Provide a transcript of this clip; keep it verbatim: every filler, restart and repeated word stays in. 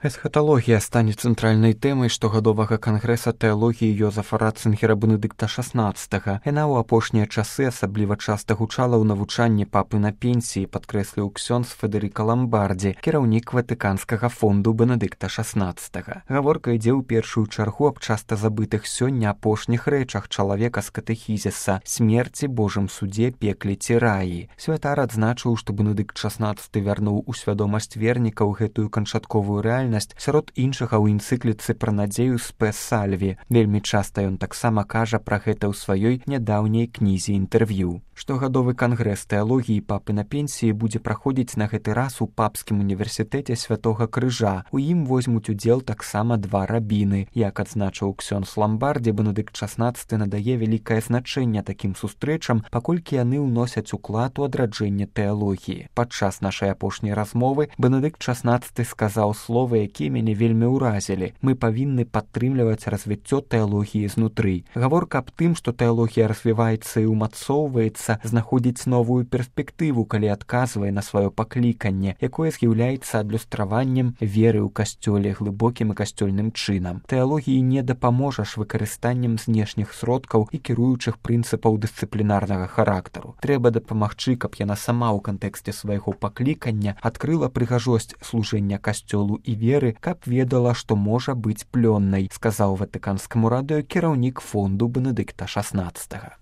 Эсхаталогія стане цэнтральнай тэмай штогадовага кангрэса тэалогіі Йозафа Ратцынгера Бенедыкта шаснаццатага. Яна ў апошнія часы асабліва часта гучала ў навучанні папы на пенсіі, падкрэсліў ксёндз Федэрыка Ламбардзі, кіраўнік Ватыканскага фонду Бенедыкта шаснаццатага. Гаворка ідзе ў першую чаргу аб часта забытых сёння апошніх рэчах чалавека з катэхізіса: смерці, Божым судзе, пекле ці раі. Святар адзначыў, што Бенедыкт шаснаццаты вярнуў у свядомасць вернікаў гэтую канчатковую рэальнасць. Сярод іншага ў энцыкліцы пра надзею Спе Сальві. Вельмі часта ён таксама кажа пра гэта ў сваёй нядаўняй кнізе інтэрв'ю. Штогадовы кангрэс тэалогіі папы на пенсіі будзе праходзіць на гэты раз у папскім універсітэце Святога Крыжа. У ім возьмуць удзел таксама два рабіны. Як адзначыў ксёндз Ламбардзі, Бенедыкт шаснаццаты надае вялікае значэнне такім сустрэчам, паколькі яны ўносяць уклад у адраджэнне тэалогіі. Падчас нашай апошняй размовы Бенедыкт шаснаццаты сказаў словы, якія мяне вельмі ўразілі. Мы павінны падтрымліваць развіццё тэалогіі знутры. Гаворка аб тым, што тэалогія развіваецца і ўмацоўваецца, знаходзіць новую перспектыву, калі адказвае на сваё пакліканне, якое з'яўляецца адлюстраваннем веры ў касцёле глыбокім і касцёльным чынам. Тэалогіі не дапаможаш выкарыстаннем знешніх сродкаў і кіруючых прынцыпаў дысцыплінарнага характару. Трэба дапамагчы, каб яна сама ў кантэксце свайго паклікання адкрыла прыгажосць служэння касцёлу і веры, каб ведала, што можа быць плённай, сказаў Ватыканскаму радыё кіраўнік фонду Бенедыкта шаснаццатага.